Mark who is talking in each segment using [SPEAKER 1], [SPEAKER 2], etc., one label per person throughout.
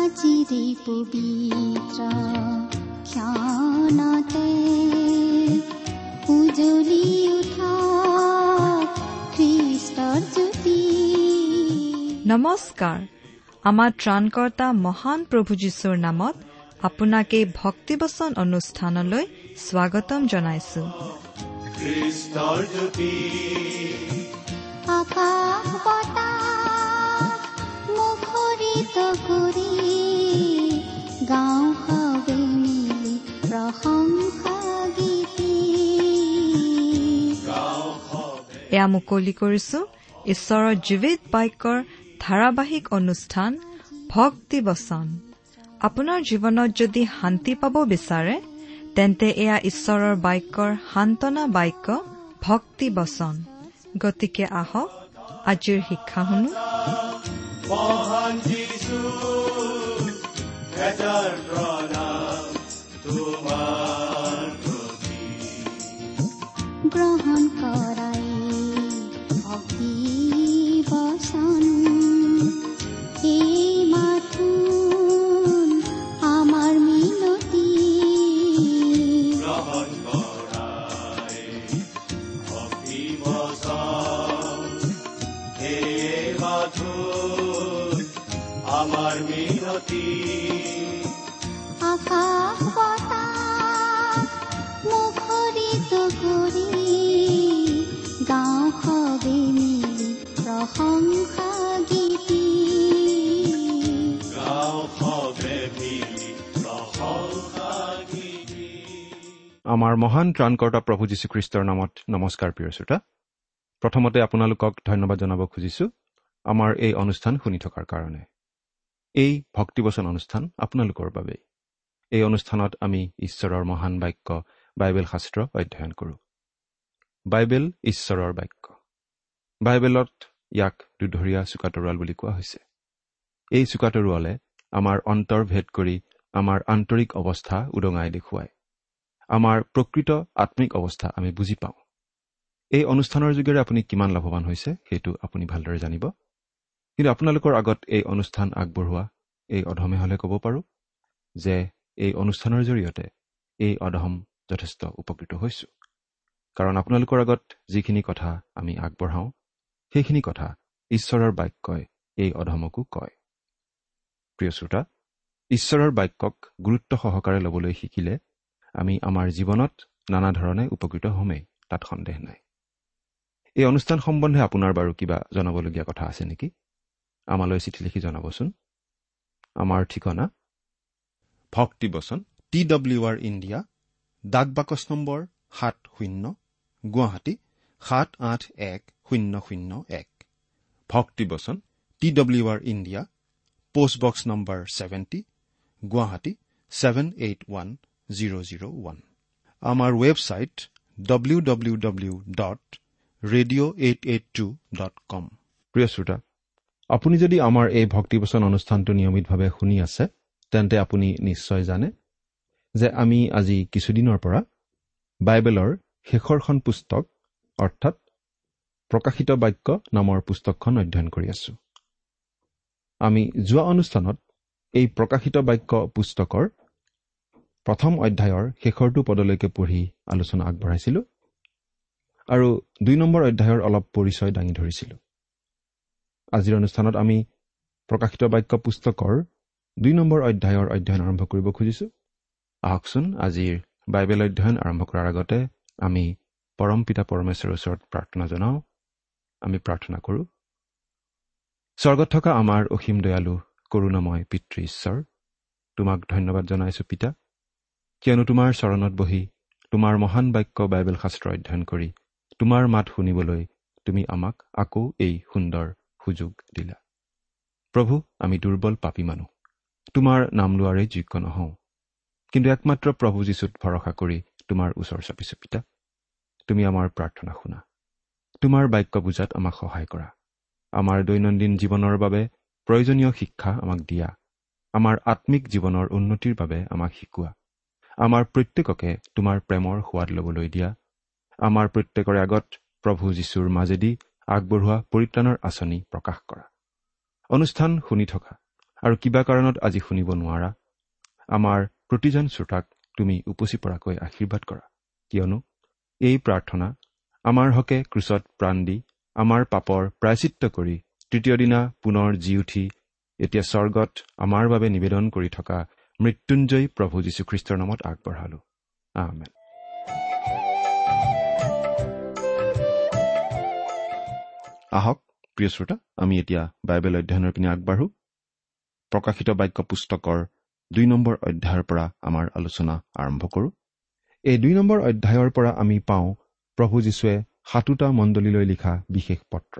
[SPEAKER 1] আজিৰে পবিত্ৰ ক্ষণতে উজ্বলি উঠা খ্ৰীষ্টৰ জ্যোতি।
[SPEAKER 2] নমস্কাৰ। আমাৰ ত্ৰাণকৰ্তা মহান প্ৰভু যীশুৰ নামত আপোনাক এই ভক্তিবচন অনুষ্ঠানলৈ স্বাগতম জনাইছো।
[SPEAKER 3] খ্ৰীষ্টৰ জ্যোতি
[SPEAKER 1] আকাশ বতাহ মুখৰিত কৰি গাওঁ সবে মিলি প্ৰশংসা গীতি।
[SPEAKER 2] এয়া মুকলি কৰিছো ঈশ্বৰৰ জীৱিত বাক্যৰ ধাৰাবাহিক অনুষ্ঠান ভক্তিবচন। আপোনাৰ জীৱনত যদি শান্তি পাব বিচাৰে তেন্তে এয়া ঈশ্বৰৰ বাক্যৰ সান্তনা বাক্য ভক্তিবচন। গতিকে আহক আজিৰ শিক্ষা শুনো।
[SPEAKER 3] মহান যীশু হেজাৰ প্ৰণাম তোমাৰ প্ৰতি।
[SPEAKER 1] গ্ৰহণ কৰাই ভক্তি বচন এই মাথোন আমাৰ মিনতি।
[SPEAKER 3] গ্ৰহণ কৰাই ভক্তি বচন এই মাথোন আমাৰ মিনতি।
[SPEAKER 1] আকাশ বতাহ মুখৰিত কৰি গাওঁ সবে মিলি প্ৰশংসা গীতি।
[SPEAKER 3] গাওঁ সবে মিলি প্ৰশংসা গীতি।
[SPEAKER 4] আমাৰ মহান ত্ৰাণকৰ্তা প্ৰভু যীশুখ্ৰীষ্টৰ নামত নমস্কাৰ প্ৰিয় শ্ৰোতা। প্ৰথমতে আপোনালোকক ধন্যবাদ জনাব খুজিছোঁ আমাৰ এই অনুষ্ঠান শুনি থকাৰ কাৰণে। এই ভক্তিবচন অনুষ্ঠান আপোনালোকৰ বাবেই। এই অনুষ্ঠানত আমি ঈশ্বৰৰ মহান বাক্য বাইবেল শাস্ত্ৰ অধ্যয়ন কৰোঁ। বাইবেল ঈশ্বৰৰ বাক্য। বাইবেলত ইয়াক দুধৰীয়া চোকা তৰোৱাল বুলি কোৱা হৈছে। এই চোকা তৰোৱালে আমাৰ অন্তৰ ভেদ কৰি আমাৰ আন্তৰিক অৱস্থা উদঙাই দেখুৱায়। আমাৰ প্ৰকৃত আত্মিক অৱস্থা আমি বুজি পাওঁ। এই অনুষ্ঠানৰ যোগেৰে আপুনি কিমান লাভৱান হৈছে সেইটো আপুনি ভালদৰে জানিব। কিন্তু আপোনালোকৰ আগত এই অনুষ্ঠান আগবঢ়োৱা এই অধমে হ'লে ক'ব পাৰোঁ যে এই অনুষ্ঠানৰ জৰিয়তে এই অধম যথেষ্ট উপকৃত হৈছোঁ। কাৰণ আপোনালোকৰ আগত যিখিনি কথা আমি আগবঢ়াওঁ সেইখিনি কথা ঈশ্বৰৰ বাক্যই এই অধমকো কয়। প্ৰিয় শ্ৰোতা, ঈশ্বৰৰ বাক্যক গুৰুত্ব সহকাৰে ল'বলৈ শিকিলে আমি আমাৰ জীৱনত নানা ধৰণে উপকৃত হ'মেই, তাত সন্দেহ নাই। এই অনুষ্ঠান সম্বন্ধে আপোনাৰ বাৰু কিবা জনাবলগীয়া কথা আছে নেকি? আমালৈ চিঠি লিখি জনাবচোন। আমাৰ ঠিকনা ভক্তিবচন
[SPEAKER 5] TWR India, ডাক বাকচ নম্বৰ 70, গুৱাহাটী 781001।
[SPEAKER 4] ভক্তিবচন
[SPEAKER 5] TWR India, post box number 70, Guwahati 781001। আমাৰ ৱেবছাইট www.radio882.com।
[SPEAKER 4] প্ৰিয় শ্ৰোতা, আপুনি যদি আমাৰ এই ভক্তিবচন অনুষ্ঠানটো নিয়মিতভাৱে শুনি আছে তেন্তে আপুনি নিশ্চয় জানে যে আমি আজি কিছুদিনৰ পৰা বাইবেলৰ শেষৰখন পুস্তক অৰ্থাৎ প্ৰকাশিত বাক্য নামৰ পুস্তকখন অধ্যয়ন কৰি আছোঁ। আমি যোৱা অনুষ্ঠানত এই প্ৰকাশিত বাক্য পুস্তকৰ প্ৰথম অধ্যায়ৰ শেষৰটো পদলৈকে পঢ়ি আলোচনা আগবঢ়াইছিলোঁ আৰু 2 নম্বৰ অধ্যায়ৰ অলপ পৰিচয় দাঙি ধৰিছিলোঁ। আজিৰ অনুষ্ঠানত আমি প্ৰকাশিত বাক্য পুস্তকৰ 2 নম্বৰ অধ্যায়ৰ অধ্যয়ন আৰম্ভ কৰিব খুজিছোঁ। আহকচোন আজিৰ বাইবেল অধ্যয়ন আৰম্ভ কৰাৰ আগতে আমি পৰম পিতা পৰমেশ্বৰৰ ওচৰত প্ৰাৰ্থনা জনাওঁ। আমি প্ৰাৰ্থনা কৰোঁ। স্বৰ্গত থকা আমাৰ অসীম দয়ালু কৰুণাময় পিতৃ ঈশ্বৰ, তোমাক ধন্যবাদ জনাইছোঁ পিতা, কিয়নো তোমাৰ চৰণত বহি তোমাৰ মহান বাক্য বাইবেল শাস্ত্ৰ অধ্যয়ন কৰি তোমাৰ মাত শুনিবলৈ তুমি আমাক আকৌ এই সুন্দৰ সুযোগ দিলা। প্ৰভু, আমি দুৰ্বল পাপী মানুহ, তোমাৰ নাম লোৱাৰে যোগ্য নহওঁ, কিন্তু একমাত্ৰ প্ৰভু যীশুত ভৰসা কৰি তোমাৰ ওচৰ চাপিছোঁ পিতা। তুমি আমাৰ প্ৰাৰ্থনা শুনা, তোমাৰ বাক্য বুজাত আমাক সহায় কৰা, আমাৰ দৈনন্দিন জীৱনৰ বাবে প্ৰয়োজনীয় শিক্ষা আমাক দিয়া, আমাৰ আত্মিক জীৱনৰ উন্নতিৰ বাবে আমাক শিকোৱা, আমাৰ প্ৰত্যেককে তোমাৰ প্ৰেমৰ সোৱাদ ল'বলৈ দিয়া, আমাৰ প্ৰত্যেকৰে আগত প্ৰভু যীশুৰ মাজেদি আগবঢ়োৱা পৰিত্ৰাণৰ আঁচনি প্ৰকাশ কৰা। অনুষ্ঠান শুনি থকা আৰু কিবা কাৰণত আজি শুনিব নোৱাৰা আমাৰ প্ৰতিজন শ্ৰোতাক তুমি উপচি পৰাকৈ আশীৰ্বাদ কৰা, কিয়নো এই প্ৰাৰ্থনা আমাৰ হকে ক্ৰুচত প্ৰাণ দি আমাৰ পাপৰ প্ৰায়শ্চিত্ত কৰি তৃতীয় দিনা পুনৰ জি উঠি এতিয়া স্বৰ্গত আমাৰ বাবে নিবেদন কৰি থকা মৃত্যুঞ্জয়ী প্ৰভু যীশুখ্ৰীষ্টৰ নামত আগবঢ়ালো, আমেন। আহক প্ৰিয় শ্ৰোতা, আমি এতিয়া বাইবেল অধ্যয়নৰ পিনে আগবাঢ়ো। প্ৰকাশিত বাক্য পুস্তকৰ 2 নম্বৰ অধ্যায়ৰ পৰা আমাৰ আলোচনা আৰম্ভ কৰোঁ। এই 2 নম্বৰ অধ্যায়ৰ পৰা আমি পাওঁ প্ৰভু যীশুৱে 7টা মণ্ডলীলৈ লিখা বিশেষ পত্ৰ।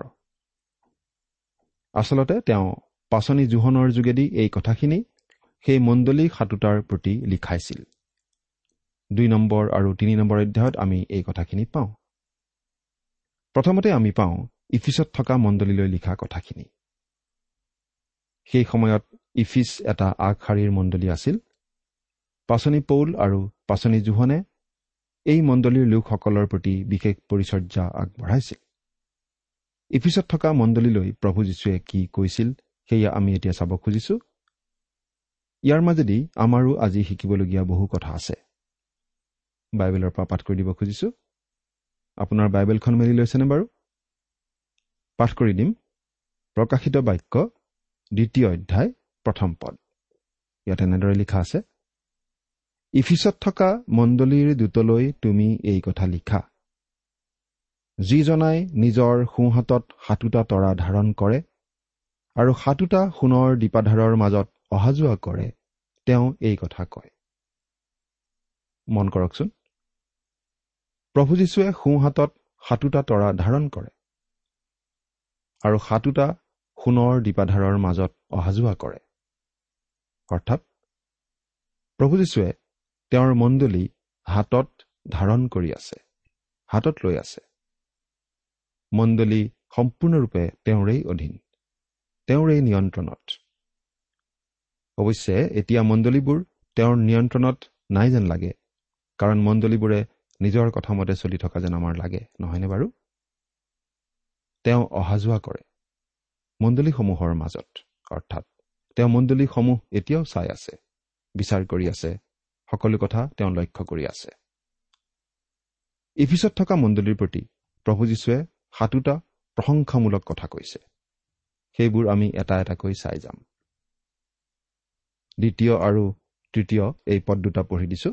[SPEAKER 4] আচলতে তেওঁ পাচনি জোহনৰ যোগেদি এই কথাখিনি সেই মণ্ডলী 7টাৰ প্ৰতি লিখাইছিল। 2 নম্বৰ আৰু 3 নম্বৰ অধ্যায়ত আমি এই কথাখিনি পাওঁ। প্ৰথমতে আমি পাওঁ ইফিচত থকা মণ্ডলীলৈ লিখা কথাখিনি। সেই সময়ত ইফিচ এটা আগশাৰীৰ মণ্ডলী আছিল। পাচনি পৌল আৰু পাচনি জোহনে এই মণ্ডলীৰ লোকসকলৰ প্ৰতি বিশেষ পৰিচৰ্যা আগবঢ়াইছিল। ইফিচত থকা মণ্ডলীলৈ প্ৰভু যীশুৱে কি কৈছিল সেয়া আমি এতিয়া চাব খুজিছোঁ। ইয়াৰ মাজেদি আমাৰো আজি শিকিবলগীয়া বহু কথা আছে। বাইবেলৰ পৰা পাঠ কৰি দিব খুজিছোঁ। আপোনাৰ বাইবেলখন মেলি লৈছেনে বাৰু? পাঠ কৰি দিম। প্ৰকাশিত বাক্য 2 অধ্যায় 1 পদ। ইয়াত এনেদৰে লিখা আছে, ইফিচত থকা মণ্ডলীৰ দূতলৈ তুমি এই কথা লিখা, যিজনাই নিজৰ সোঁহাতত 7টা তৰা ধাৰণ কৰে আৰু 7টা সোণৰ দীপাধাৰৰ মাজত অহা যোৱা কৰে, তেওঁ এই কথা কয়। মন কৰকচোন, প্ৰভু যীশুৱে সোঁহাতত 7টা তৰা ধাৰণ কৰে আৰু 7টা সোণৰ দীপাধাৰৰ মাজত অহা যোৱা কৰে। অৰ্থাৎ প্ৰভু যীশুৱে তেওঁৰ মণ্ডলী হাতত ধাৰণ কৰি আছে, হাতত লৈ আছে। মণ্ডলী সম্পূৰ্ণৰূপে তেওঁৰেই অধীন, তেওঁৰেই নিয়ন্ত্ৰণত। অৱশ্যে এতিয়া মণ্ডলীবোৰ তেওঁৰ নিয়ন্ত্ৰণত নাই যেন লাগে, কাৰণ মণ্ডলীবোৰে নিজৰ কথামতে চলি থকা যেন আমাৰ লাগে, নহয়নে বাৰু? তেওঁ অহা যোৱা কৰে মণ্ডলীসমূহৰ মাজত, অৰ্থাৎ তেওঁ মণ্ডলীসমূহ এতিয়াও চাই আছে, বিচাৰ কৰি আছে, সকলো কথা তেওঁ লক্ষ্য কৰি আছে। ইফিচত থকা মণ্ডলীৰ প্ৰতি প্ৰভু যীশুৱে 7টা প্ৰশংসামূলক কথা কৈছে। সেইবোৰ আমি এটা এটাকৈ চাই যাম। 2 আৰু 3 এই পদ দুটা পঢ়ি দিছো।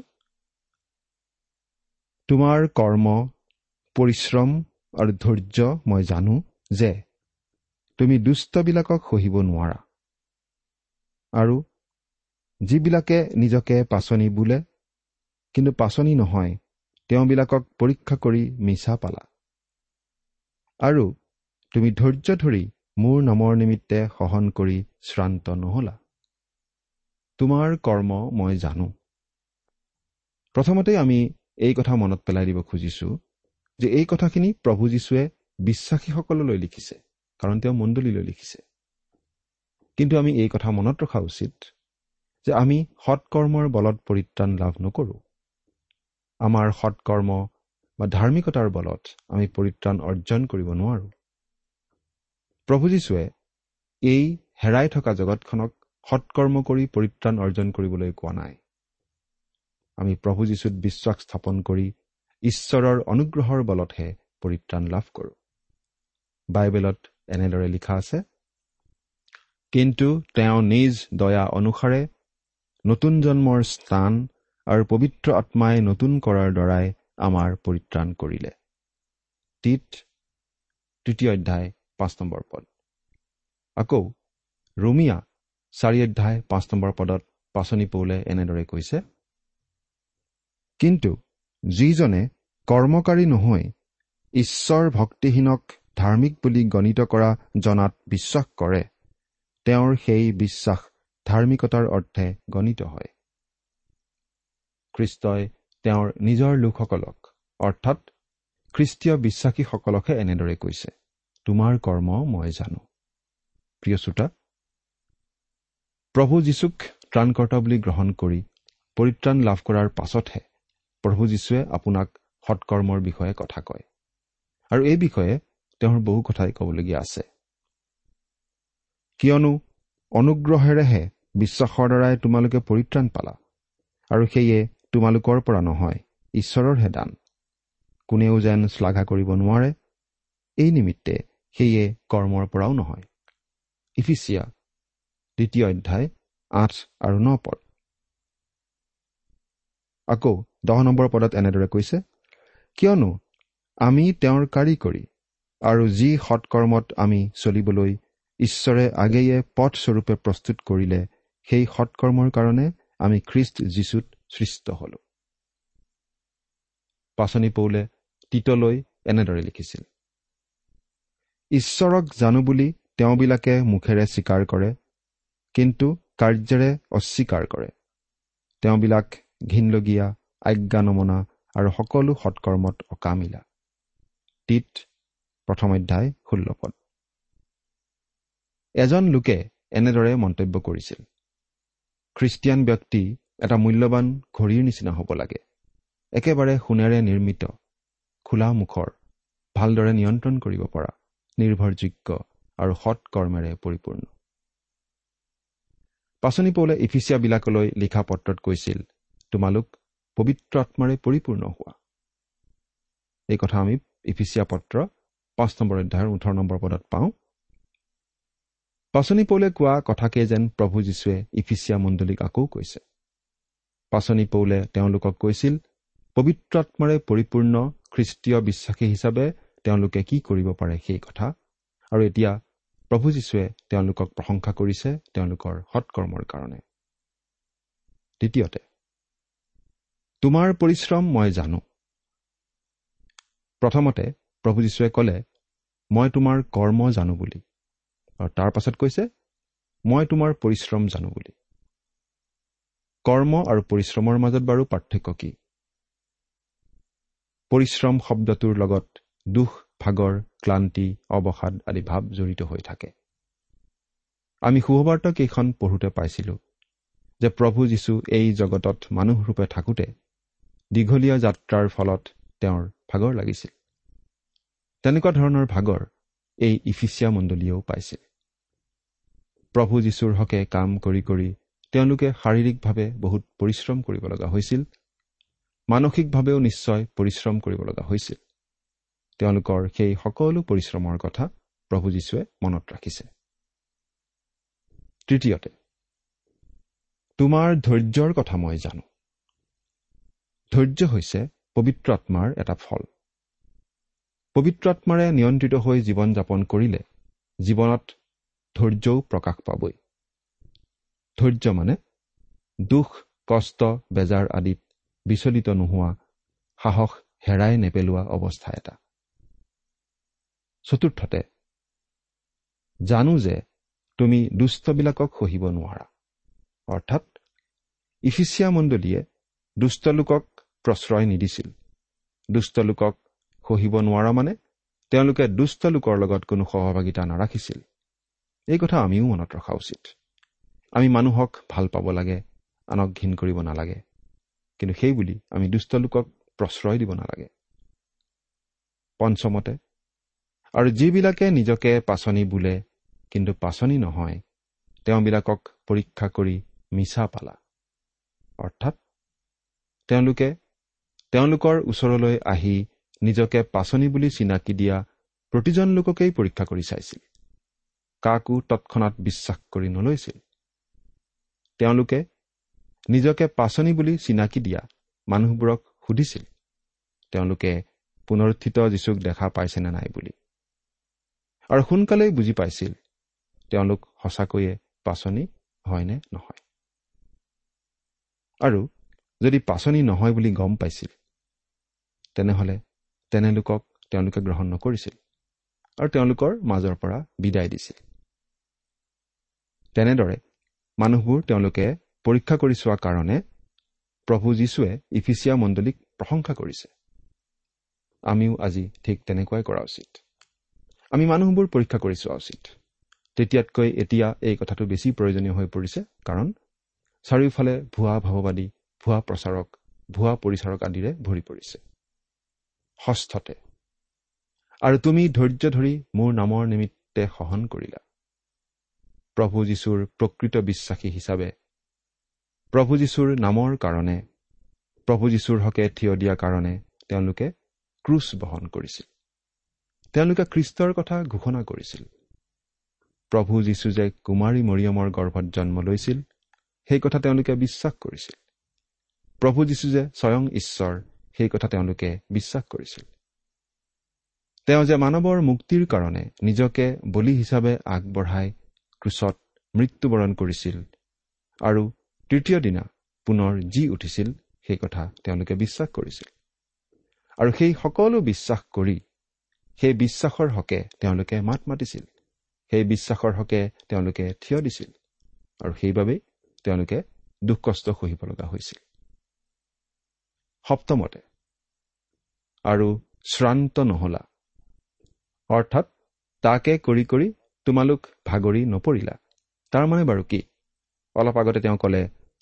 [SPEAKER 4] তোমাৰ কৰ্ম, পৰিশ্ৰম আৰু ধৈৰ্য মই জানো যে তুমি দুষ্টবিলাকক সহিব নোৱাৰা, আৰু যিবিলাকে নিজকে পাচনি বোলে কিন্তু পাচনি নহয়, তেওঁবিলাকক পৰীক্ষা কৰি মিছা পালা, আৰু তুমি ধৈৰ্য ধৰি মোৰ নামৰ নিমিত্তে সহন কৰি শ্ৰান্ত নহলা। তোমাৰ কৰ্ম মই জানো। প্ৰথমতে আমি এই কথা মনত পেলাই দিব খুজিছোঁ যে এই কথাখিনি প্ৰভু যীশুৱে বিশ্বাসীসকললৈ লিখিছে, কাৰণ তেওঁ মণ্ডলীলৈ লিখিছে। কিন্তু আমি এই কথা মনত ৰখা উচিত যে আমি সৎকৰ্মৰ বলত পৰিত্ৰাণ লাভ নকৰোঁ। আমাৰ সৎকৰ্ম বা ধাৰ্মিকতাৰ বলত আমি পৰিত্ৰাণ অৰ্জন কৰিব নোৱাৰোঁ। প্ৰভু যীশুৱে এই হেৰাই থকা জগতখনক সৎকৰ্ম কৰি পৰিত্ৰাণ অৰ্জন কৰিবলৈ কোৱা নাই। আমি প্ৰভু যীশুত বিশ্বাস স্থাপন কৰি ঈশ্বৰৰ অনুগ্ৰহৰ বলতহে পৰিত্ৰাণ লাভ কৰোঁ। বাইবেলত এনেদৰে লিখা আছে, কিন্তু তেওঁ নিজ দয়া অনুসাৰে নতুন জন্মৰ স্থান আৰু পবিত্ৰ আত্মাই নতুন কৰাৰ দ্বাৰাই আমাৰ পৰিত্ৰাণ কৰিলে। তীত 3 অধ্যায় 5 নম্বৰ পদ। আকৌ ৰোমিয়া 4 অধ্যায় 5 নম্বৰ পদত পাচনি পৌলে এনেদৰে কৈছে, কিন্তু যিজনে কৰ্মকাৰী নহৈ ঈশ্বৰ ভক্তিহীনক ধাৰ্মিক বুলি গণিত কৰা জনাত বিশ্বাস কৰে, তেওঁৰ সেই বিশ্বাস ধাৰ্মিকতাৰ অৰ্থে গণিত হয়। খ্ৰীষ্টই তেওঁৰ নিজৰ লোকসকলক, অৰ্থাৎ খ্ৰীষ্টীয় বিশ্বাসীসকলকহে এনেদৰে কৈছে, তোমাৰ কৰ্ম মই জানো। প্ৰিয় শ্ৰোতা, প্ৰভু যীশুক ত্ৰাণকৰ্তা বুলি গ্ৰহণ কৰি পৰিত্ৰাণ লাভ কৰাৰ পাছতহে প্ৰভু যীশুৱে আপোনাক সৎকৰ্মৰ বিষয়ে কথা কয়, আৰু এই বিষয়ে তেওঁৰ বহু কথাই ক'বলগীয়া আছে। কিয়নো অনুগ্ৰহেৰেহে বিশ্বাসৰ দ্বাৰাই তোমালোকে পৰিত্ৰাণ পালা, আৰু সেয়ে তোমালোকৰ পৰা নহয়, ঈশ্বৰৰহে দান। কোনেও যেন শ্লাঘা কৰিব নোৱাৰে, এই নিমিত্তে সেয়ে কৰ্মৰ পৰাও নহয়। ইফিচিয়া 2 অধ্যায় 8 আৰু 9 পদ। আকৌ 10 নম্বৰ পদত এনেদৰে কৈছে, কিয়নো আমি তেওঁৰ কাৰিকৰী, আৰু যি সৎকৰ্মত আমি চলিবলৈ ঈশ্বৰে আগেয়ে পথস্বৰূপে প্ৰস্তুত কৰিলে, সেই সৎকৰ্মৰ কাৰণে আমি খ্ৰীষ্ট যীশুত সৃষ্ট হলো। পাচনি পৌলে তীতলৈ এনেদৰে লিখিছিল, ঈশ্বৰক জানো বুলি তেওঁবিলাকে মুখেৰে স্বীকাৰ কৰে, কিন্তু কাৰ্যেৰে অস্বীকাৰ কৰে। তেওঁবিলাক ঘিনলগীয়া, আজ্ঞা নমনা আৰু সকলো সৎকৰ্মত অকামিলা। তীত 1 অধ্যায় 16 পদ। এজন লোকে এনেদৰে মন্তব্য কৰিছিল, খ্ৰীষ্টিয়ান ব্যক্তি এটা মূল্যৱান ঘড়ীৰ নিচিনা হ'ব লাগে, একেবাৰে সোণেৰে নিৰ্মিত, খোলা মুখৰ, ভালদৰে নিয়ন্ত্ৰণ কৰিব পৰা, নিৰ্ভৰযোগ্য আৰু সৎকৰ্মেৰে পৰিপূৰ্ণ। পাচনি পৌলে ইফিচিয়াবিলাকলৈ লিখা পত্ৰত কৈছিল, তোমালোক পবিত্ৰ আত্মাৰে পৰিপূৰ্ণ হোৱা। এই কথা আমি ইফিচিয়া পত্ৰ 5 নম্বৰ অধ্যায়ৰ 18 নম্বৰ পদত পাওঁ। পাচনি পৌলে কোৱা কথাকে যেন প্ৰভু যীশুৱে ইফিচিয়া মণ্ডলীক আকৌ কৈছে। পাচনি পৌলে তেওঁলোকক কৈছিল, পবিত্ৰ আত্মাৰে পৰিপূৰ্ণ খ্ৰীষ্টীয় বিশ্বাসী হিচাপে তেওঁলোকে কি কৰিব পাৰে সেই কথা, আৰু এতিয়া প্ৰভু যীশুৱে তেওঁলোকক প্ৰশংসা কৰিছে তেওঁলোকৰ সৎকৰ্মৰ কাৰণে। দ্বিতীয়তে, তোমাৰ পৰিশ্ৰম মই জানো। প্ৰথমতে প্ৰভু যীশুৱে ক'লে, মই তোমাৰ কৰ্ম জানো বুলি, আৰু তাৰ পাছত কৈছে, মই তোমাৰ পৰিশ্ৰম জানো বুলি। কৰ্ম আৰু পৰিশ্ৰমৰ মাজত বাৰু পাৰ্থক্য কি? পৰিশ্ৰম শব্দটোৰ লগত দুখ, ভাগৰ, ক্লান্তি, অৱসাদ আদি ভাৱ জড়িত হৈ থাকে। আমি শুভবাৰ্তা কেইখন পঢ়োঁতে পাইছিলোঁ যে প্ৰভু যীশু এই জগতত মানুহৰূপে থাকোঁতে দীঘলীয়া যাত্ৰাৰ ফলত তেওঁৰ ভাগৰ লাগিছিল। তেনেকুৱা ধৰণৰ ভাগৰ এই ইফিচিয়া মণ্ডলীয়েও পাইছিল। প্ৰভু যীশুৰ হকে কাম কৰি কৰি তেওঁলোকে শাৰীৰিকভাৱে বহুত পৰিশ্ৰম কৰিব লগা হৈছিল, মানসিকভাৱেও নিশ্চয় পৰিশ্ৰম কৰিব লগা হৈছিল। তেওঁলোকৰ সেই সকলো পৰিশ্ৰমৰ কথা প্ৰভু যীশুৱে মনত ৰাখিছে। তৃতীয়তে, তোমাৰ ধৈৰ্যৰ কথা মই জানো। ধৈৰ্য হৈছে পবিত্ৰ আত্মাৰ এটা ফল। পবিত্ৰ আত্মাৰে নিয়ন্ত্ৰিত হৈ জীৱন যাপন কৰিলে জীৱনত ধৈৰ্যও প্ৰকাশ পাবই। ধৈৰ্য মানে দুখ, কষ্ট, বেজাৰ আদিত বিচলিত নোহোৱা, সাহস হেৰাই নেপেলোৱা অৱস্থা এটা। চতুৰ্থতে, জানো যে তুমি দুষ্টবিলাকক সহিব নোৱাৰা। অৰ্থাৎ ইফিচিয়া মণ্ডলীয়ে দুষ্ট লোকক প্ৰশ্ৰয় নিদিছিল। দুষ্ট লোকক সহিব নোৱাৰা মানে তেওঁলোকে দুষ্ট লোকৰ লগত কোনো সহভাগিতা নাৰাখিছিল। এই কথা আমিও মনত ৰখা উচিত। আমি মানুহক ভাল পাব লাগে, আনক ঘিণ কৰিব নালাগে, কিন্তু সেইবুলি আমি দুষ্ট লোকক প্ৰশ্ৰয় দিব নালাগে। পঞ্চমতে, আৰু যিবিলাকে নিজকে পাচনি বোলে কিন্তু পাচনি নহয়, তেওঁবিলাকক পৰীক্ষা কৰি মিছা পালা। অৰ্থাৎ তেওঁলোকে তেওঁলোকৰ ওচৰলৈ আহি নিজকে পাচনি বুলি চিনাকি দিয়া প্ৰতিজন লোককেই পৰীক্ষা কৰি চাইছিল, কাকো তৎক্ষণাত বিশ্বাস কৰি নলৈছিল। তেওঁলোকে নিজকে পাচনি বুলি চিনাকি দিয়া মানুহবোৰক সুধিছিল তেওঁলোকে পুনৰুত্থিত যীশুক দেখা পাইছেনে নাই বুলি, আৰু সোনকালেই বুজি পাইছিল তেওঁলোক সঁচাকৈয়ে পাচনি হয়নে নহয়। আৰু যদি পাচনি নহয় বুলি গম পাইছিল, তেনেহ'লে তেনে লোকক তেওঁলোকে গ্ৰহণ নকৰিছিল আৰু তেওঁলোকৰ মাজৰ পৰা বিদায় দিছিল। তেনেদৰে মানুহবোৰ তেওঁলোকে পৰীক্ষা কৰি চোৱা কাৰণে প্ৰভু যীশুৱে ইফিচিয়া মণ্ডলীক প্ৰশংসা কৰিছে। আমিও আজি ঠিক তেনেকুৱাই কৰা উচিত। আমি মানুহবোৰ পৰীক্ষা কৰি চোৱা উচিত। তেতিয়াতকৈ এতিয়া এই কথাটো বেছি প্ৰয়োজনীয় হৈ পৰিছে, কাৰণ চাৰিওফালে ভুৱা ভাৱবাদী, ভুৱা প্ৰচাৰক, ভুৱা পৰিচাৰক আদিৰে ভৰি পৰিছে। ষষ্ঠতে, আৰু তুমি ধৈৰ্য ধৰি মোৰ নামৰ নিমিত্তে সহন কৰিলা। প্ৰভু যীশুৰ প্ৰকৃত বিশ্বাসী হিচাপে প্ৰভু যীশুৰ নামৰ কাৰণে, প্ৰভু যীশুৰ হকে থিয় দিয়াৰ কাৰণে তেওঁলোকে ক্ৰুচ বহন কৰিছিল। তেওঁলোকে খ্ৰীষ্টৰ কথা ঘোষণা কৰিছিল। প্ৰভু যীশু যে কুমাৰী মৰিয়মৰ গৰ্ভত জন্ম লৈছিল সেই কথা তেওঁলোকে বিশ্বাস কৰিছিল। প্ৰভু যীশু যে স্বয়ং ঈশ্বৰ সেই কথা তেওঁলোকে বিশ্বাস কৰিছিল। তেওঁ যে মানৱৰ মুক্তিৰ কাৰণে নিজকে বলি হিচাপে আগবঢ়াই ক্ৰুচত মৃত্যুবৰণ কৰিছিল আৰু তৃতীয় দিনা পুনৰ জি উঠিছিল সেই কথা তেওঁলোকে বিশ্বাস কৰিছিল। আৰু সেই সকলো বিশ্বাস কৰি সেই বিশ্বাসৰ হকে তেওঁলোকে মাত মাতিছিল, সেই বিশ্বাসৰ হকে তেওঁলোকে থিয় দিছিল আৰু সেইবাবেই তেওঁলোকে দুখ কষ্ট সহিব লগা হৈছিল। সপ্তমতে, আৰু শ্ৰান্ত নহলা, অৰ্থাৎ তাকে কৰি কৰি তোমালোক ভাগৰি নপৰিলা। তাৰ মানে বাৰু কি? অলপ আগতে তেওঁ ক'লে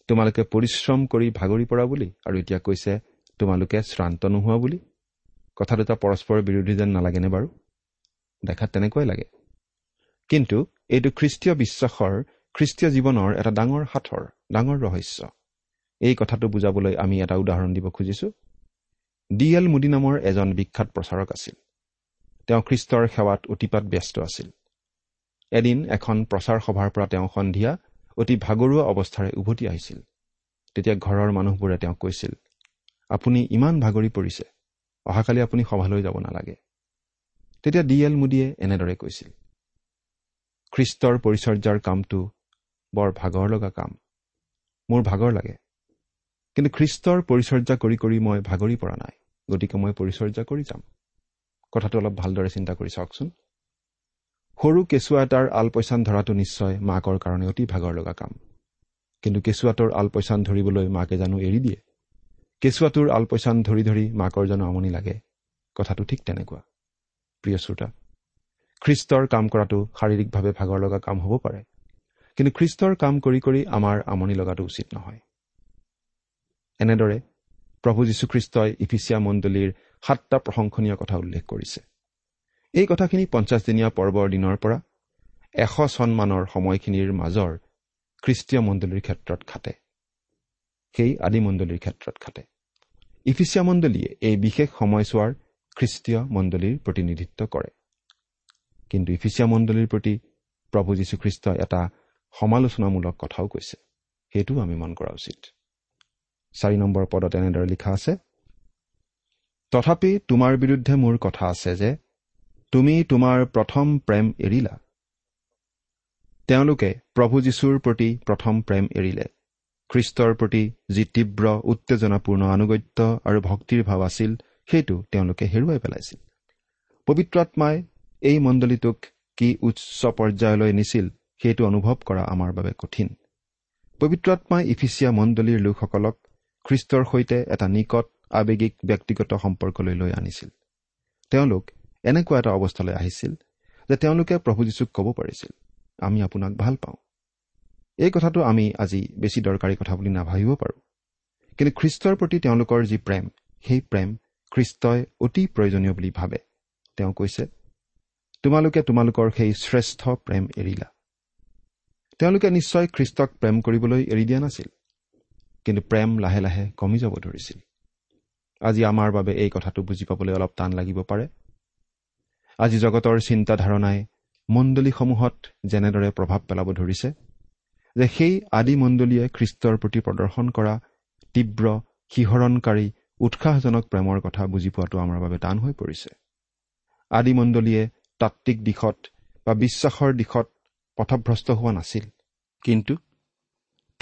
[SPEAKER 4] তোমালোকে পৰিশ্ৰম কৰি ভাগৰি পৰা বুলি, আৰু এতিয়া কৈছে তোমালোকে শ্ৰান্ত নোহোৱা বুলি। কথা দুটা পৰস্পৰ বিৰোধী যেন নালাগেনে বাৰু? দেখাত তেনেকুৱাই লাগে। কিন্তু এইটো খ্ৰীষ্টীয় বিশ্বাসৰ, খ্ৰীষ্টীয় জীৱনৰ এটা ডাঙৰ সাঁথৰ, ডাঙৰ ৰহস্য। এই কথাটো বুজাবলৈ আমি এটা উদাহৰণ দিব খুজিছোঁ। ডি এল মুডি নামৰ এজন বিখ্যাত প্ৰচাৰক আছিল। তেওঁ খ্ৰীষ্টৰ সেৱাত অতিপাত ব্যস্ত আছিল। এদিন এখন প্ৰচাৰ সভাৰ পৰা তেওঁ সন্ধিয়া অতি ভাগৰুৱা অৱস্থাৰে উভতি আহিছিল। তেতিয়া ঘৰৰ মানুহবোৰে তেওঁক কৈছিল, আপুনি ইমান ভাগৰি পৰিছে, অহাকালি আপুনি সভালৈ যাব নালাগে। তেতিয়া ডি এল মুডিয়ে এনেদৰে কৈছিল, খ্ৰীষ্টৰ পৰিচৰ্যাৰ কামটো বৰ ভাগৰ লগা কাম, মোৰ ভাগৰ লাগে, কিন্তু খ্ৰীষ্টৰ পৰিচৰ্যা কৰি কৰি মই ভাগৰি পৰা নাই, গতিকে মই পৰিচৰ্যা কৰি যাম। কথাটো অলপ ভালদৰে চিন্তা কৰি চাওকচোন। সৰু কেঁচুৱা এটাৰ আলপৈচান ধৰাটো নিশ্চয় মাকৰ কাৰণে অতি ভাগৰ লগা কাম, কিন্তু কেঁচুৱাটোৰ আলপৈচান ধৰিবলৈ মাকে জানো এৰি দিয়ে? কেঁচুৱাটোৰ আলপৈচান ধৰি ধৰি মাকৰ জানো আমনি লাগে? কথাটো ঠিক তেনেকুৱা। প্ৰিয় শ্ৰোতা, খ্ৰীষ্টৰ কাম কৰাটো শাৰীৰিকভাৱে ভাগৰ লগা কাম হ'ব পাৰে, কিন্তু খ্ৰীষ্টৰ কাম কৰি কৰি আমাৰ আমনি লগাটো উচিত নহয়। এনেদৰে প্ৰভু যীশুখ্ৰীষ্টই ইফিচিয়া মণ্ডলীৰ 7টা প্ৰশংসনীয় কথা উল্লেখ কৰিছে। এই কথাখিনি 50 দিনীয়া পৰ্বৰ দিনৰ পৰা 100 চনমানৰ সময়খিনিৰ মাজৰ খ্ৰীষ্টীয় মণ্ডলীৰ ক্ষেত্ৰত খাটে, সেই আদি মণ্ডলীৰ ক্ষেত্ৰত খাটে। ইফিচিয়া মণ্ডলীয়ে এই বিশেষ সময়ছোৱাৰ খ্ৰীষ্টীয় মণ্ডলীৰ প্ৰতিনিধিত্ব কৰে। কিন্তু ইফিচিয়া মণ্ডলীৰ প্ৰতি প্ৰভু যীশুখ্ৰীষ্টই এটা সমালোচনামূলক কথাও কৈছে, সেইটোও আমি মন কৰা উচিত। 4 নম্বৰ পদত এনেদৰে লিখা আছে, তথাপি তোমাৰ বিৰুদ্ধে মোৰ কথা আছে যে তুমি তোমাৰ প্ৰথম প্ৰেম এৰিলা। তেওঁলোকে প্ৰভু যীশুৰ প্ৰতি প্ৰথম প্ৰেম এৰিলে। খ্ৰীষ্টৰ প্ৰতি যি তীব্ৰ উত্তেজনাপূৰ্ণ আনুগত্য আৰু ভক্তিৰ ভাৱ আছিল সেইটো তেওঁলোকে হেৰুৱাই পেলাইছিল। পবিত্ৰ আত্মাই এই মণ্ডলীটোক কি উচ্চ পৰ্যায়লৈ নিছিল সেইটো অনুভৱ কৰা আমাৰ বাবে কঠিন। পবিত্ৰ আত্মাই ইফিচিয়া মণ্ডলীৰ লোকসকলক খ্ৰীষ্টৰ সৈতে এটা নিকট আৱেগিক ব্যক্তিগত সম্পৰ্কলৈ লৈ আনিছিল। তেওঁলোক এনেকুৱা এটা অৱস্থালৈ আহিছিল যে তেওঁলোকে প্ৰভু যীশুক ক'ব পাৰিছিল, আমি আপোনাক ভাল পাওঁ। এই কথাটো আমি আজি বেছি দৰকাৰী কথা বুলি নাভাবিব পাৰোঁ, কিন্তু খ্ৰীষ্টৰ প্ৰতি তেওঁলোকৰ যি প্ৰেম, সেই প্ৰেম খ্ৰীষ্টই অতি প্ৰয়োজনীয় বুলি ভাবে। তেওঁ কৈছে, তোমালোকে তোমালোকৰ সেই শ্ৰেষ্ঠ প্ৰেম এৰিলা। তেওঁলোকে নিশ্চয় খ্ৰীষ্টক প্ৰেম কৰিবলৈ এৰি দিয়া নাছিল, কিন্তু প্ৰেম লাহে লাহে কমি যাব ধৰিছিল। আজি আমাৰ বাবে এই কথাটো বুজি পাবলৈ অলপ টান লাগিব পাৰে। আজি জগতৰ চিন্তাধাৰণাই মণ্ডলীসমূহত যেনেদৰে প্ৰভাৱ পেলাব ধৰিছে যে সেই আদি মণ্ডলীয়ে খ্ৰীষ্টৰ প্ৰতি প্ৰদৰ্শন কৰা তীব্ৰ শিহৰণকাৰী উৎসাহজনক প্ৰেমৰ কথা বুজি পোৱাটো আমাৰ বাবে টান হৈ পৰিছে। আদি মণ্ডলীয়ে তাত্ত্বিক দিশত বা বিশ্বাসৰ দিশত পথভ্ৰষ্ট হোৱা নাছিল, কিন্তু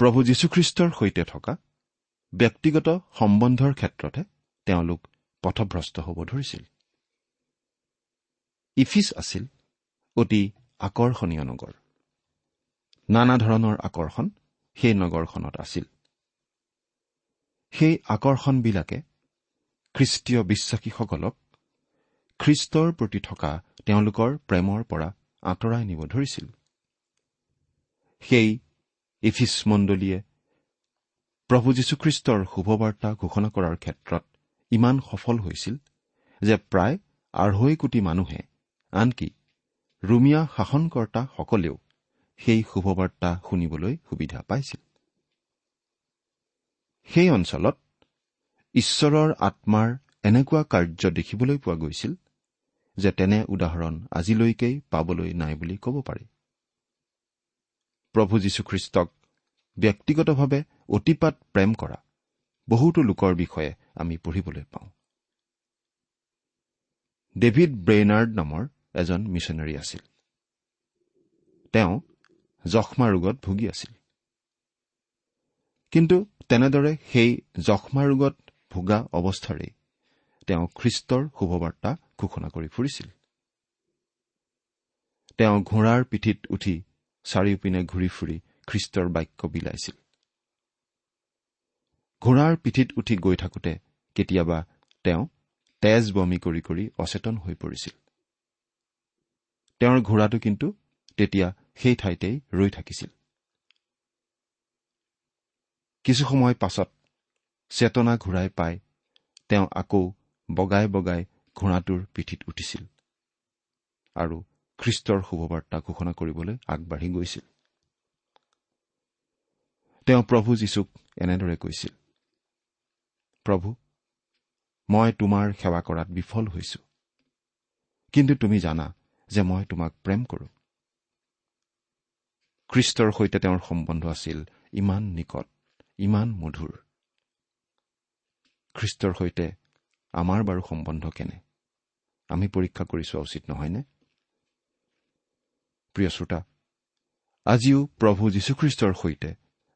[SPEAKER 4] প্ৰভু যীশুখ্ৰীষ্টৰ সৈতে থকা ব্যক্তিগত সম্বন্ধৰ ক্ষেত্ৰতহে তেওঁলোক পথভ্ৰষ্ট হ'ব ধৰিছিল। ইফিচ আছিল অতি আকৰ্ষণীয় নগৰ। নানা ধৰণৰ আকৰ্ষণ সেই নগৰখনত আছিল। সেই আকৰ্ষণবিলাকে খ্ৰীষ্টীয় বিশ্বাসীসকলক খ্ৰীষ্টৰ প্ৰতি থকা তেওঁলোকৰ প্ৰেমৰ পৰা আঁতৰাই নিব ধৰিছিল। সেই ইফিচ মণ্ডলীয়ে প্ৰভু যীশুখ্ৰীষ্টৰ শুভবাৰ্তা ঘোষণা কৰাৰ ক্ষেত্ৰত ইমান সফল হৈছিল যে প্ৰায় 2.5 কোটি মানুহে, আনকি ৰোমিয়া শাসনকৰ্তাসকলেও
[SPEAKER 5] সেই শুভবাৰ্তা শুনিবলৈ সুবিধা পাইছিল। সেই অঞ্চলত ঈশ্বৰৰ আত্মাৰ এনেকুৱা কাৰ্য দেখিবলৈ পোৱা গৈছিল যে তেনে উদাহৰণ আজিলৈকেই পাবলৈ নাই বুলি ক'ব পাৰি। প্ৰভু যীশুখ্ৰীষ্টক ব্যক্তিগতভাৱে অতিপাত প্ৰেম কৰা বহুতো লোকৰ বিষয়ে আমি পঢ়িবলৈ পাওঁ। ডেভিড ব্ৰেইনাৰ্ড নামৰ এজন মিছনেৰী আছিল। তেওঁ যক্ষ্মা ৰোগত ভুগি আছিল। কিন্তু তেনেদৰে সেই যক্ষ্মা ৰোগত ভোগা অৱস্থাৰেই তেওঁ খ্ৰীষ্টৰ শুভবাৰ্তা ঘোষণা কৰি ফুৰিছিল। তেওঁ ঘোঁৰাৰ পিঠিত উঠি চাৰিওপিনে ঘূৰি ফুৰি খ্ৰীষ্টৰ বাক্য বিলাইছিল। ঘোঁৰাৰ পিঠিত উঠি গৈ থাকোঁতে কেতিয়াবা তেওঁ তেজ বমি কৰি কৰি অচেতন হৈ পৰিছিল। তেওঁৰ ঘোঁৰাটো কিন্তু তেতিয়া সেই ঠাইতেই ৰৈ থাকিছিল। কিছু সময় পাছত চেতনা ঘূৰাই পাই তেওঁ আকৌ বগাই বগাই ঘোঁৰাটোৰ পিঠিত উঠিছিল আৰু খ্ৰীষ্টৰ শুভবাৰ্তা ঘোষণা কৰিবলৈ আগবাঢ়ি গৈছিল। তেওঁ প্ৰভু যীশুক এনেদৰে কৈছিল, প্ৰভু, মই তোমাৰ সেৱা কৰাত বিফল হৈছো, কিন্তু তুমি জানা যে মই তোমাক প্ৰেম কৰো। খ্ৰীষ্টৰ সৈতে তেওঁৰ সম্বন্ধ আছিল ইমান নিকট, ইমান মধুৰ। খ্ৰীষ্টৰ সৈতে আমাৰ বাৰু সম্বন্ধ কেনে, আমি পৰীক্ষা কৰি চোৱা উচিত নহয়নে? প্ৰিয় শ্ৰোতা, আজিও প্ৰভু যীশুখ্ৰীষ্টৰ সৈতে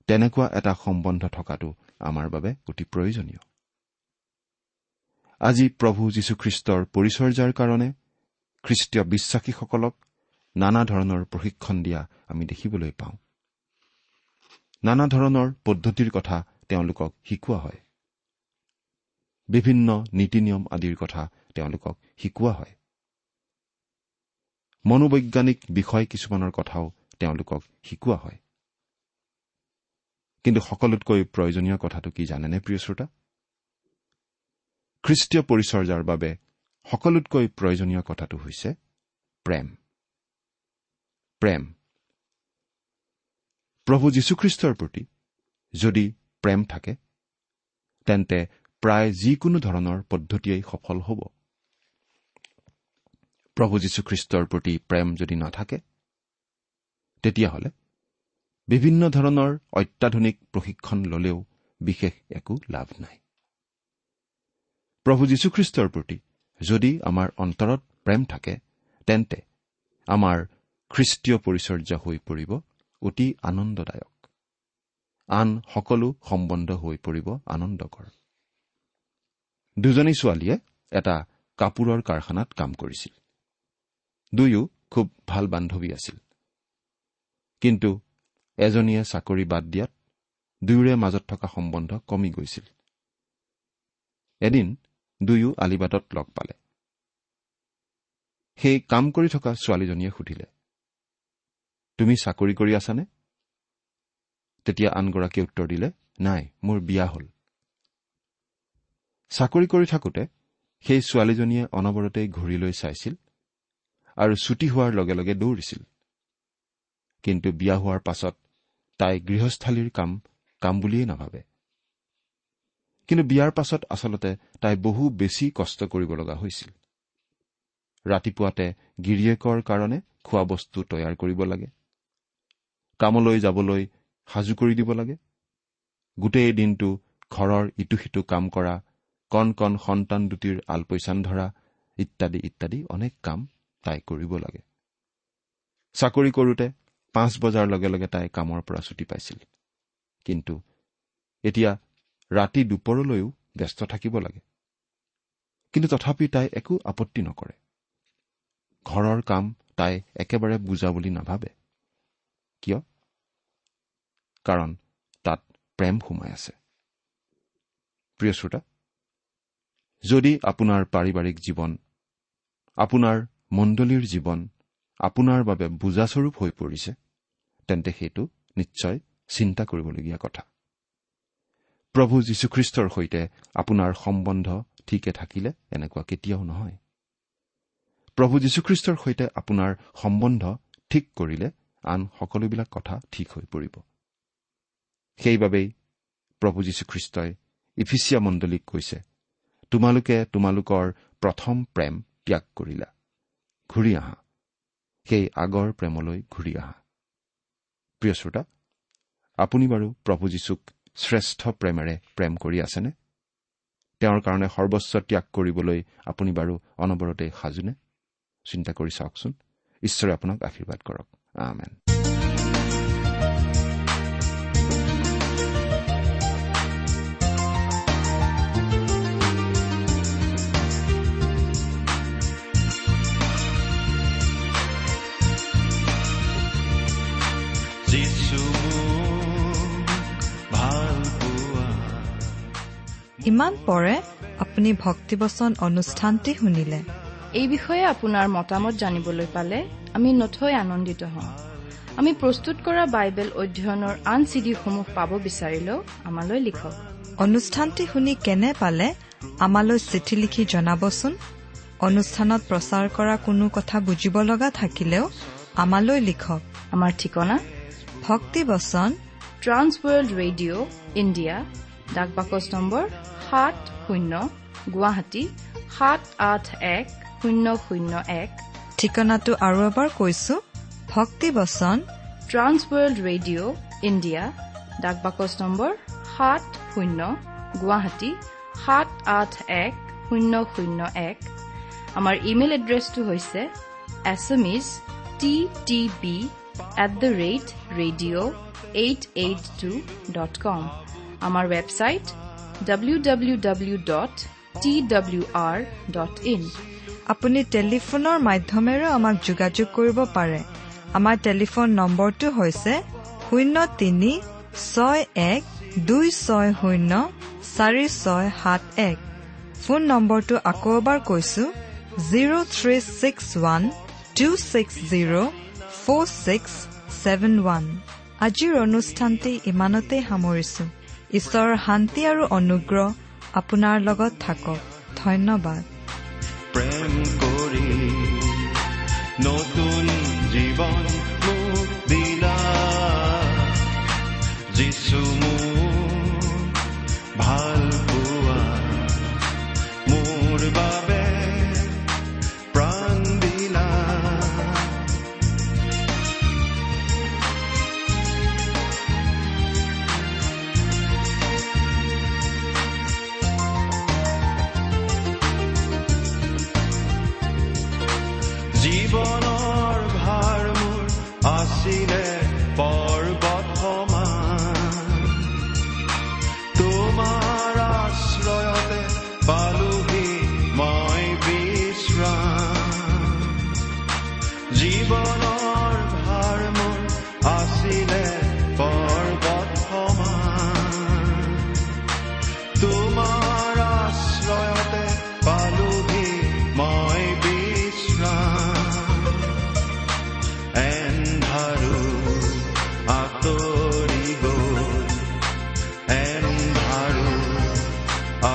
[SPEAKER 5] তেনেকুৱা এটা সম্বন্ধ থকাটো আমাৰ বাবে অতি প্ৰয়োজনীয়। আজি প্ৰভু যীশুখ্ৰীষ্টৰ পৰিচৰ্যাৰ কাৰণে খ্ৰীষ্টীয় বিশ্বাসীসকলক নানা ধৰণৰ প্ৰশিক্ষণ দিয়া আমি দেখিবলৈ পাওঁ। নানা ধৰণৰ পদ্ধতিৰ কথা তেওঁলোকক শিকোৱা হয়, বিভিন্ন নীতি নিয়ম আদিৰ কথা তেওঁলোকক শিকোৱা হয়, মনোবৈজ্ঞানিক বিষয় কিছুমানৰ কথাও তেওঁলোকক শিকোৱা হয়। কিন্তু সকলোতকৈ প্ৰয়োজনীয় কথাটো কি জানেনে প্ৰিয় শ্ৰোতা? খ্ৰীষ্টীয় পৰিচৰ্যাৰ বাবে সকলোতকৈ প্ৰয়োজনীয় কথাটো হৈছে প্ৰেম। প্ৰেম। প্ৰভু যীশুখ্ৰীষ্টৰ প্ৰতি যদি প্ৰেম থাকে, তেন্তে প্ৰায় যিকোনো ধৰণৰ পদ্ধতিয়েই সফল হ'ব। প্ৰভু যীশুখ্ৰীষ্টৰ প্ৰতি প্ৰেম যদি নাথাকে, তেতিয়াহ'লে বিভিন্ন ধৰণৰ অত্যাধুনিক প্ৰশিক্ষণ ল'লেও বিশেষ একো লাভ নাই। প্ৰভু যীশুখ্ৰীষ্টৰ প্ৰতি যদি আমাৰ অন্তৰত প্ৰেম থাকে, তেন্তে আমাৰ খ্ৰীষ্টীয় পৰিচৰ্যা হৈ পৰিব অতি আনন্দদায়ক, আন সকলো সম্বন্ধ হৈ পৰিব আনন্দকৰ। দুজনী ছোৱালীয়ে এটা কাপোৰৰ কাৰখানাত কাম কৰিছিল। দুয়ো খুব ভাল বান্ধৱী আছিল। কিন্তু এজনীয়ে চাকৰি বাদ দিয়াত দুয়োৰে মাজত থকা সম্বন্ধ কমি গৈছিল। এদিন দুয়ো আলিবাটত লগ পালে। সেই কাম কৰি থকা ছোৱালীজনীয়ে সুধিলে, তুমি চাকৰি কৰি আছানে? তেতিয়া আনগৰাকীয়ে উত্তৰ দিলে, নাই, মোৰ বিয়া হ'ল। চাকৰি কৰি থাকোঁতে সেই ছোৱালীজনীয়ে অনবৰতেই ঘড়ীলৈ চাইছিল আৰু ছুটি হোৱাৰ লগে লগে দৌৰিছিল। কিন্তু বিয়া হোৱাৰ পাছত তাই গৃহস্থালীৰ কাম কাম বুলিয়েই নাভাবে। কিন্তু বিয়াৰ পাছত আচলতে তাই বহু বেছি কষ্ট কৰিব লগা হৈছিল। ৰাতিপুৱাতে গিৰিয়েকৰ কাৰণে খোৱা বস্তু তৈয়াৰ কৰিব লাগে, কামলৈ যাবলৈ সাজু কৰি দিব লাগে, গোটেই দিনটো ঘৰৰ ইটো সিটো কাম কৰা, কণ কণ সন্তান দুটিৰ আলপৈচান ধৰা ইত্যাদি ইত্যাদি অনেক কাম তাই কৰিব লাগে। চাকৰি কৰোঁতে 5 বজাৰ লগে লগে তাই কামৰ পৰা ছুটি পাইছিল, কিন্তু এতিয়া ৰাতি দুপৰলৈও ব্যস্ত থাকিব লাগে। কিন্তু তথাপি তাই একো আপত্তি নকৰে। ঘৰৰ কাম তাই একেবাৰে বুজা বুলি নাভাবে। কিয়? কাৰণ তাত প্ৰেম সোমাই আছে। প্ৰিয় শ্ৰোতা, যদি আপোনাৰ পাৰিবাৰিক জীৱন, আপোনাৰ মণ্ডলীৰ জীৱন আপোনাৰ বাবে বোজাস্বৰূপ হৈ পৰিছে, তেন্তে সেইটো নিশ্চয় চিন্তা কৰিবলগীয়া কথা। প্ৰভু যীশুখ্ৰীষ্টৰ সৈতে আপোনাৰ সম্বন্ধ ঠিকে থাকিলে এনেকুৱা কেতিয়াও নহয়। প্ৰভু যীশুখ্ৰীষ্টৰ সৈতে আপোনাৰ সম্বন্ধ ঠিক কৰিলে আন সকলোবিলাক কথা ঠিক হৈ পৰিব। সেইবাবেই প্ৰভু যীশুখ্ৰীষ্টই ইফিচিয়া মণ্ডলীক কৈছে, তোমালোকে তোমালোকৰ প্ৰথম প্ৰেম ত্যাগ কৰিলা, ঘূৰি আহা, সেই আগৰ প্ৰেমলৈ ঘূৰি আহা। প্ৰিয় শ্ৰোতা, আপুনি বাৰু প্ৰভু যীশুক শ্ৰেষ্ঠ প্ৰেমেৰে প্ৰেম কৰি আছেনে? তেওঁৰ কাৰণে সৰ্বস্ব ত্যাগ কৰিবলৈ আপুনি বাৰু অনবৰতে সাজুনে? চিন্তা কৰি চাওকচোন। ঈশ্বৰে আপোনাক আশীৰ্বাদ কৰক। আমেন।
[SPEAKER 2] ইমান পৰে আপুনি ভক্তিবচন অনুষ্ঠানটি শুনিলে।
[SPEAKER 6] এই বিষয়ে আপোনাৰ মতামত জানিবলৈ পালে আমি নথৈ আনন্দিত হওঁ। আমি প্ৰস্তুত কৰা বাইবেল অধ্যয়নৰ আন চিডিসমূহ পাব বিচাৰিলেও আমালৈ লিখক।
[SPEAKER 2] অনুষ্ঠানটি শুনি কেনে পালে আমালৈ চিঠি লিখি জনাবচোন। অনুষ্ঠানত প্ৰচাৰ কৰা কোনো কথা বুজিব লগা থাকিলেও আমালৈ লিখক।
[SPEAKER 6] আমাৰ ঠিকনা
[SPEAKER 2] ভক্তিবচন
[SPEAKER 6] ট্ৰান্স ৱৰ্ল্ড ৰেডিঅ' ইণ্ডিয়া, ডাক বাকচ নম্বৰ 70, গুৱাহাটী 781001।
[SPEAKER 2] ঠিকনাটো আৰু এবাৰ কৈছো, ভক্তিবচন
[SPEAKER 6] ট্ৰান্স ৱৰ্ল্ড ৰেডিঅ' ইণ্ডিয়া, ডাক বাকচ নম্বৰ 70, গুৱাহাটী 781001। আমাৰ ইমেইল এড্ৰেছটো হৈছে assamese@ttb@radio882.com। আমাৰ ৱেবছাইট www.twr.in।
[SPEAKER 2] আপুনি টেলিফোনৰ মাধ্যমেৰেও আমাক যোগাযোগ কৰিব পাৰে। আমাৰ টেলিফোন নম্বৰটো হৈছে 03 61 260 4671। ফোন নম্বৰটো আকৌ এবাৰ কৈছো, 0361 260 4671। আজিৰ অনুষ্ঠানটি ইমানতে সামৰিছো। ঈশ্বৰৰ শান্তি আৰু অনুগ্ৰহ আপোনাৰ লগত থাকক। ধন্যবাদ।
[SPEAKER 3] প্ৰেম কৰি নতুন জীৱন মোক দিলা, যিছু মোক ভাল পোৱা, মোৰ বাবে প্ৰাণ দিলা। জীৱনৰ ভাৰ মোৰ আছিলে পৰ্বত সমান, তোমাৰ আশ্ৰয়তে পালোহি মই বিশ্ৰাম। জীৱনৰ ভাৰ মোৰ আছিলে পৰ্বত সমান, তোমাৰ আশ্ৰয়তে পালোহি মই বিশ্ৰাম। এন্ধাৰো আঁতৰি গ'ল, এন্ধাৰো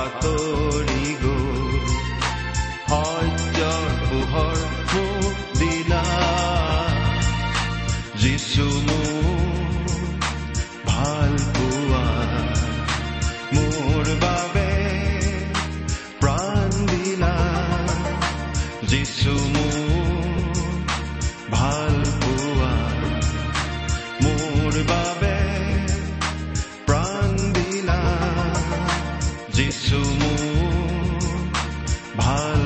[SPEAKER 3] আঁতৰি গ'ল, সত্যৰ পোহৰ মোক দিলা, যিছু মোক ভাল পোৱা, মোৰ বাবে প্ৰাণ দিলা, যিছু মোক ভাল পোৱা, মোৰ বাবে প্ৰাণ দিলা, যিছু মোক ভাল